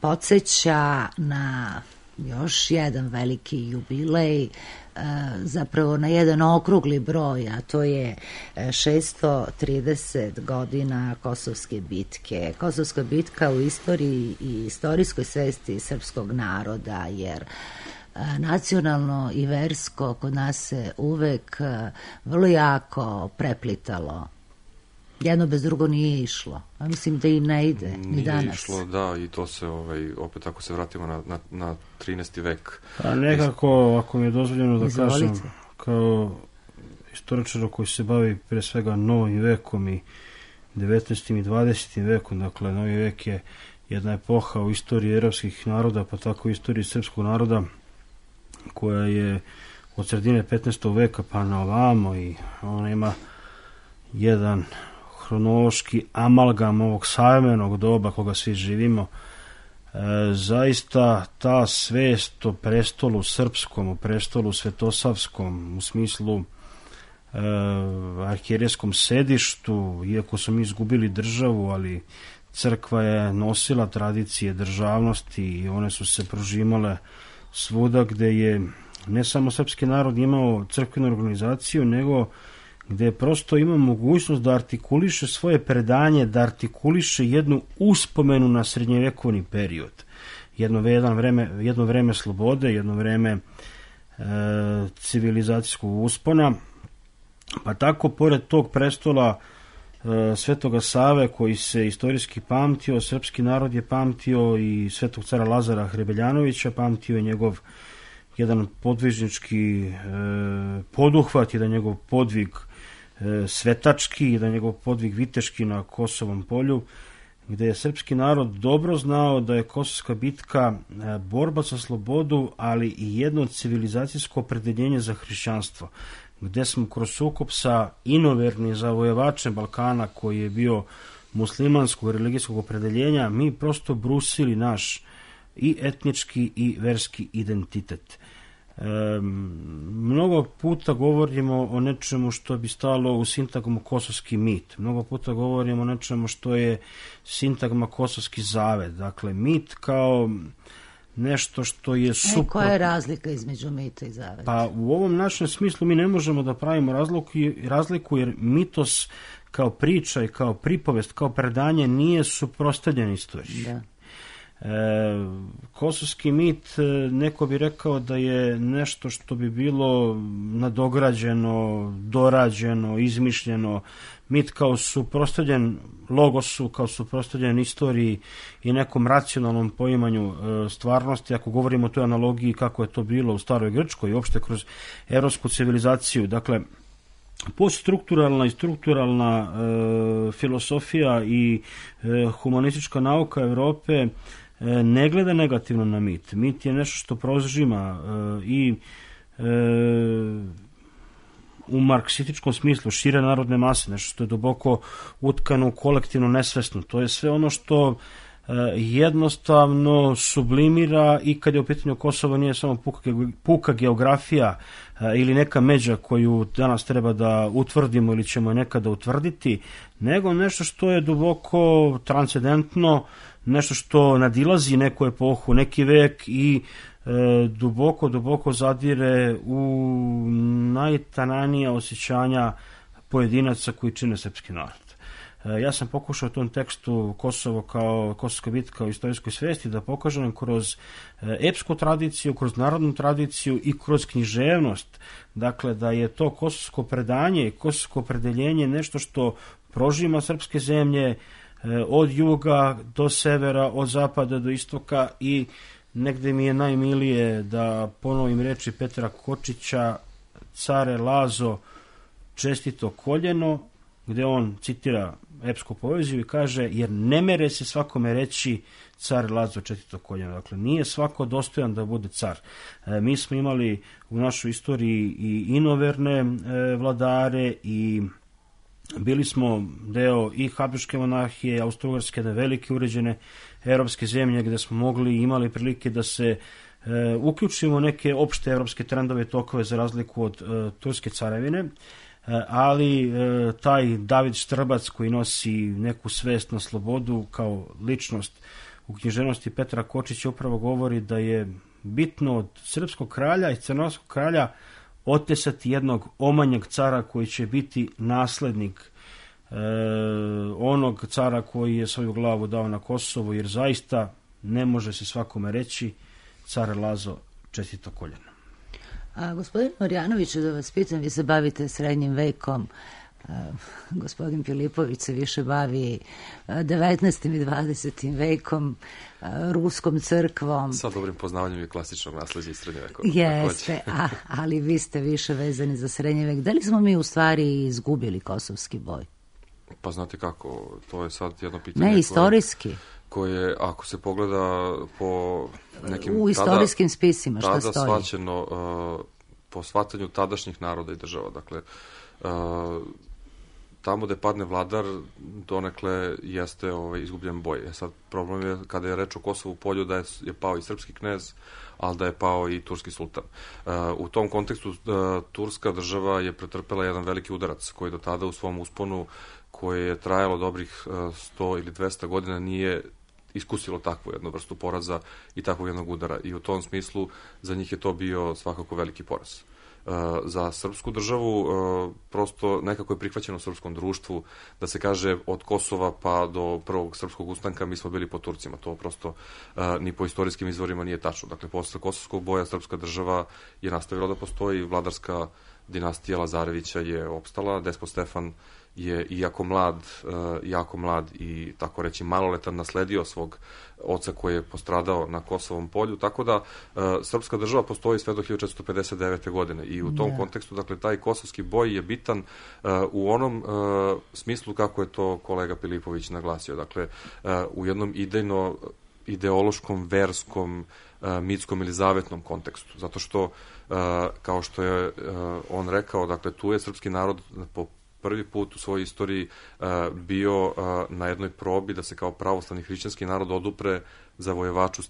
podsjeća na još jedan veliki jubilej, zapravo na jedan okrugli broj, a to je 630 godina Kosovske bitke. Kosovska bitka u istoriji i istorijskoj svesti srpskog naroda, jer nacionalno i versko kod nas se uvek vrlo jako preplitalo. Jedno bez drugo nije išlo. A mislim da i ne ide ni danas. Nije išlo, da, i to se, opet ako se vratimo na 13. vek. A nekako, ako mi je dozvoljeno da kažem, kao istoričar koji se bavi pre svega novim vekom i 19. i 20. vekom, dakle, novi vek je jedna epoha u istoriji evropskih naroda, pa tako i istoriji srpskog naroda, koja je od sredine 15. veka pa na ovamo, i ona ima jedan hronološki amalgam ovog savremenog doba koga svi živimo. Zaista ta svest o prestolu srpskom, o prestolu svetosavskom, u smislu arhijerejskom sedištu, iako smo mi izgubili državu, ali crkva je nosila tradicije državnosti i one su se prožimale svuda gde je ne samo srpski narod imao crkvenu organizaciju, nego gde je prosto imao mogućnost da artikuliše svoje predanje, da artikuliše jednu uspomenu na srednjevekovni period. Jedno vreme slobode, jedno vreme civilizacijskog uspona. Pa tako, pored tog prestola Svetoga Save, koji se istorijski pamtio, srpski narod je pamtio i Svetog cara Lazara Hrebeljanovića, pamtio je njegov jedan podvižnički poduhvat, jedan njegov podvig svetački, jedan njegov podvig viteški na Kosovom polju, gde je srpski narod dobro znao da je Kosovska bitka borba za slobodu, ali i jedno civilizacijsko opredeljenje za hrišćanstvo, gde smo kroz sukob sa inovernim zavojevačem Balkana, koji je bio muslimanskog religijskog opredeljenja, mi prosto brusili naš i etnički i verski identitet. Mnogo puta govorimo o nečemu što bi stalo u sintagmu kosovski mit. Mnogo puta govorimo o nečemu što je sintagma kosovski zavet. Dakle, mit kao nešto što je suprotno. Koja je razlika između mita i zaveta? Pa u ovom našem smislu mi ne možemo da pravimo razliku, jer mitos kao priča i kao pripovest, kao predanje nije suprotstavljen istoriji. Da. Kosovski mit, neko bi rekao da je nešto što bi bilo nadograđeno, dorađeno, izmišljeno. Mit kao suprotstavljen logosu, kao suprotstavljen istoriji i nekom racionalnom poimanju stvarnosti, ako govorimo o toj analogiji kako je to bilo u staroj Grčkoj i uopšte kroz evropsku civilizaciju. Dakle, poststrukturalna i strukturalna filosofija i humanistička nauka Evrope ne gleda negativno na mit. Mit je nešto što prožima i u marksističkom smislu šire narodne mase, nešto što je duboko utkano u kolektivno nesvesno. To je sve ono što jednostavno sublimira i kad je u pitanju Kosovo nije samo puka geografija ili neka međa koju danas treba da utvrdimo ili ćemo nekada utvrditi, nego nešto što je duboko transcendentno, nešto što nadilazi neku epohu, neki vek i duboko zadire u najtananija osjećanja pojedinaca koji čine srpski narod. Ja sam pokušao u tom tekstu Kosovo kao Kosovska bitka u istorijskoj svesti da pokažem kroz epsku tradiciju, kroz narodnu tradiciju i kroz književnost. Dakle, da je to kosovsko predanje i kosovsko opredeljenje nešto što prožima srpske zemlje od juga do severa, od zapada do istoka i negde mi je najmilije da ponovim reči Petra Kočića, care Lazo, čestito koljeno, gde on citira epsku poeziju i kaže, jer ne mere se svakome reći car Lazo čestito koljeno. Dakle, nije svako dostojan da bude car. Mi smo imali u našoj istoriji i inoverne vladare i bili smo deo i Habsburške monarhije, Austro-Ugarske, velike uređene evropske zemlje gde smo imali prilike da se uključimo neke opšte evropske trendove i tokove za razliku od Turske carevine, ali taj David Štrbac koji nosi neku svest na slobodu kao ličnost u književnosti Petra Kočića upravo govori da je bitno od srpskog kralja i crnogorskog kralja otesati jednog omanjeg cara koji će biti naslednik onog cara koji je svoju glavu dao na Kosovo, jer zaista ne može se svakome reći car Lazo čestito koljeno. A gospodin Marjanović, da vas pitam, vi se bavite srednjim vekom, gospodin Filipović se više bavi 19. i 20. vekom, ruskom crkvom. Sa dobrim poznavanjem i klasičnog nasleđa iz srednje veka. Jeste, ali vi ste više vezani za srednji vek. Da li smo mi u stvari izgubili kosovski boj? Pa znate kako, to je sad jedno pitanje. Ne, istorijski. Koje, ako se pogleda po nekim... U istorijskim spisima šta stoji? Tada shvaćeno po shvatanju tadašnjih naroda i država. Dakle, tamo gde padne vladar, donekle jeste izgubljen boj. Sad, problem je kada je reč o Kosovu polju da je pao i srpski knez, ali da je pao i turski sultan. U tom kontekstu turska država je pretrpela jedan veliki udarac koji do tada u svom usponu, koje je trajalo dobrih 100 ili 200 godina, nije iskusilo takvu jednu vrstu poraza i takvog jednog udara. I u tom smislu za njih je to bio svakako veliki poraz. Za srpsku državu prosto nekako je prihvaćeno u srpskom društvu da se kaže od Kosova pa do prvog srpskog ustanka mi smo bili pod Turcima. To prosto ni po istorijskim izvorima nije tačno. Dakle, posle kosovskog boja srpska država je nastavila da postoji, vladarska dinastija Lazarevića je opstala, despot Stefan je jako mlad i tako reći maloletan nasledio svog oca koji je postradao na Kosovom polju, tako da srpska država postoji sve do 1459. godine i u tom kontekstu, dakle, taj kosovski boj je bitan u onom smislu kako je to kolega Filipović naglasio, dakle, u jednom ideološkom, verskom, mitskom ili zavetnom kontekstu, zato što, kao što je on rekao, dakle, tu je srpski narod po prvi put u svojoj istoriji bio na jednoj probi da se kao pravoslavni hrišćanski narod odupre zavojevaču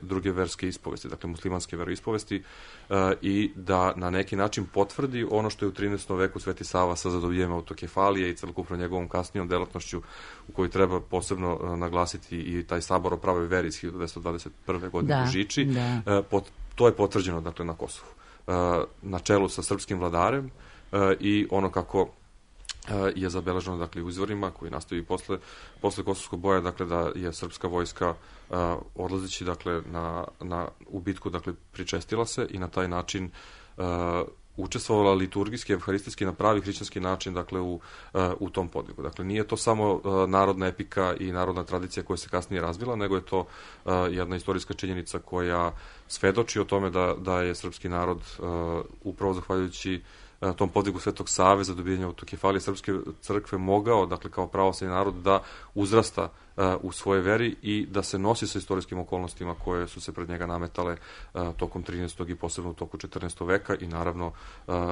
druge verske ispovesti, dakle muslimanske veroispovesti, i da na neki način potvrdi ono što je u 13. veku Sveti Sava sa zadovoljenjem autokefalije i celokupno njegovom kasnijom delatnošću u kojoj treba posebno naglasiti i taj sabor o pravoj veri iz 1921. godine u Žiči. To je potvrđeno, dakle, na Kosovu. Na čelu sa srpskim vladarem i ono kako je zabeleženo, dakle, u izvorima koji nastaju posle kosovskog boja, dakle, da je srpska vojska odlazeći, dakle, u bitku, dakle, pričestila se i na taj način učestvovala liturgijski, evharistijski, na pravi hrišćanski način, dakle, u tom podvigu. Dakle, nije to samo narodna epika i narodna tradicija koja se kasnije razvila, nego je to jedna istorijska činjenica koja svedoči o tome da je srpski narod upravo zahvaljujući tom podvigu Svetog Save za dobijanje autokefalije srpske crkve mogao, dakle, kao pravoslavni narod da uzrasta u svoje veri i da se nosi sa istorijskim okolnostima koje su se pred njega nametale tokom 13. i posebno u toku 14. veka i naravno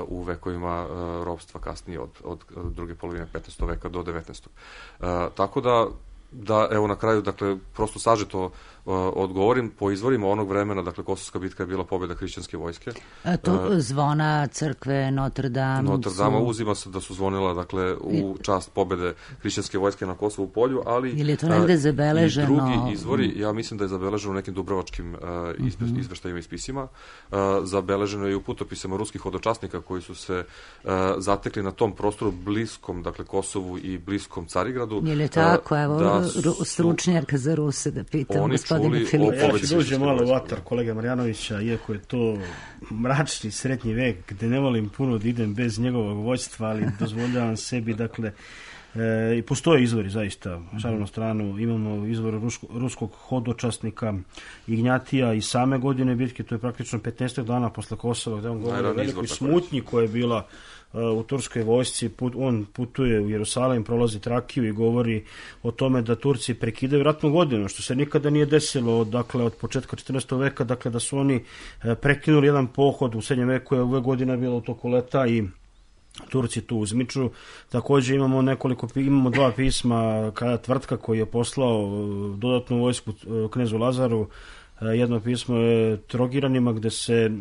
u vekovima ropstva kasnije od druge polovine 15. veka do 19. Tako da Da, evo na kraju, dakle, prosto sažeto odgovorim, po izvorima onog vremena, dakle, Kosovska bitka je bila pobjeda hrišćanske vojske. To zvona crkve Notre Dame uzima se da su zvonila, dakle, u čast pobjede hrišćanske vojske na Kosovu polju, ali ili je to negde zabeleženo? I drugi izvori, ja mislim da je zabeleženo u nekim dubrovačkim izveštajima i spisima, zabeleženo je i u putopisama ruskih hodočasnika koji su se zatekli na tom prostoru bliskom, dakle, Kosovu i bliskom Carigradu. Je li tako, evo, stručnjarka za Ruse da pitam gospodina Filipa. Ja ću dođe malo u vatar kolega Marjanovića, iako je to mračni srednji vek, gde ne volim puno da idem bez njegovog vođstva, ali dozvoljavam sebi, dakle, i postoje izvori, zaista, šalim stranu, imamo izvor ruskog hodočasnika Ignjatija i same godine bitke, to je praktično 15. dana posle Kosova, gde on govori o velikoj smutnji koja je bila u turskoj vojsci. On putuje u Jerusalim, prolazi Trakiju i govori o tome da Turci prekidaju ratnu godinu, što se nikada nije desilo, dakle, od početka 14. veka, dakle, da su oni prekinuli jedan pohod u srednjem veku, je ove godina bilo u toku leta i Turci tu uzmiču. Također imamo dva pisma kada Tvrtka koji je poslao dodatnu vojsku knezu Lazaru. Jedno pismo je Trogiranima gde se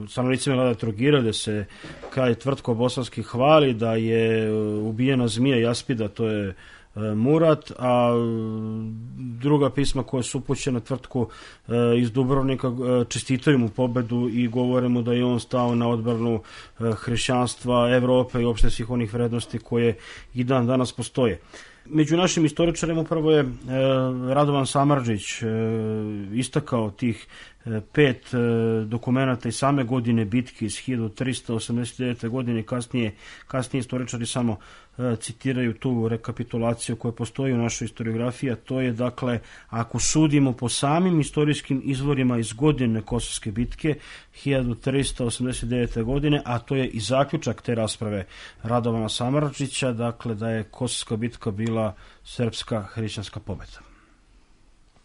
stanovnicima grada Trogira, gde se kralj Tvrtko bosanski hvali da je ubijena zmija Jaspida, to je Murat, a druga pisma koja su upućena Tvrtku iz Dubrovnika čestitaju mu pobedu i govore mu da je on stao na odbranu hrišćanstva, Evrope i uopšte svih onih vrednosti koje i dan danas postoje. Među našim istoričarima upravo je Radovan Samardžić istakao tih 5 dokumenata i same godine bitke iz 1389. godine. Kasnije istoričari samo citiraju tu rekapitulaciju koja postoji u našoj historiografiji, a to je, dakle, ako sudimo po samim istorijskim izvorima iz godine Kosovske bitke 1389. godine, a to je i zaključak te rasprave Radovana Samardžića, dakle, da je Kosovska bitka bila srpska hrišćanska pobeda.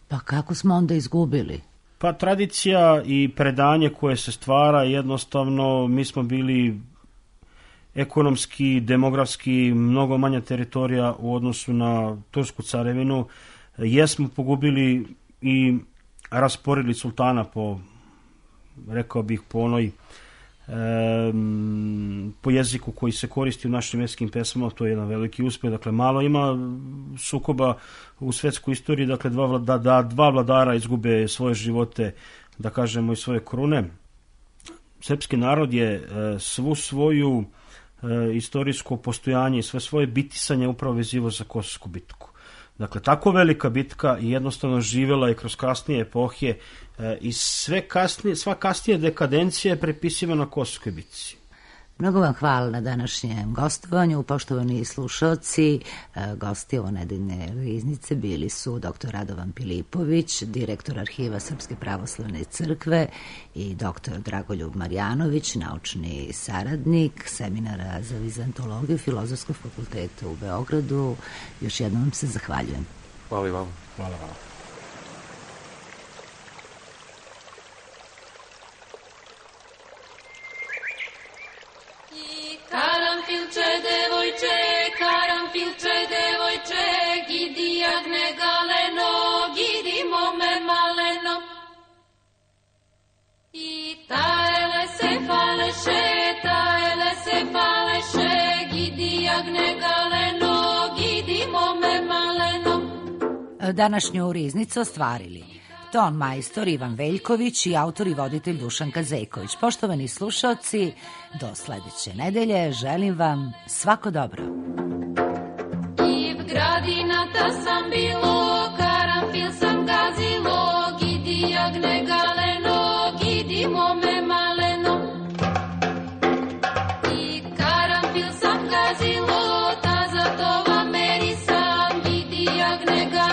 Pa kako smo onda izgubili? Pa tradicija i predanje koje se stvara, jednostavno mi smo bili ekonomski, demografski mnogo manja teritorija u odnosu na Tursku carevinu. Jesmo pogubili i rasporili sultana po, rekao bih, po onoj po jeziku koji se koristi u našim vjerskim pesmama, to je jedan veliki uspjeh. Dakle, malo ima sukoba u svetskoj istoriji, dakle, dva vladara izgube svoje živote, da kažemo, i svoje krune. Srpski narod je svu svoju istorijsko postojanje i sve svoje bitisanje upravo vezivo za Kosovsku bitku. Dakle, tako velika bitka jednostavno živjela je kroz kasnije epohe i sva kasnije dekadencija je prepisivana Kosovskoj bitci. Mnogo vam hvala na današnjem gostovanju, poštovani slušalci. Gosti ovo nedeljne riznice bili su dr. Radovan Pilipović, direktor Arhiva Srpske pravoslavne crkve, i dr. Dragoljub Marjanović, naučni saradnik Seminara za vizantologiju Filozofskog fakulteta u Beogradu. Još jednom vam se zahvaljujem. Hvala i vam. Hvala vam. Karanfilče, devojče, gidi jagne galeno, gidi mome maleno. I tajele se faleše, gidi jagne galeno, gidi mome maleno. Današnju riznicu ostvarili ton majstor Ivan Veljković i autor i voditelj Dušan Kazeković. Poštovani slušalci, do sledeće nedelje želim vam svako dobro. I v gradinata sam bilo, karanfil sam gazilo, gidi jagne galeno, gidi mome maleno. I karanfil sam gazilo, ta za to vam meri sam, gidi jagne galeno.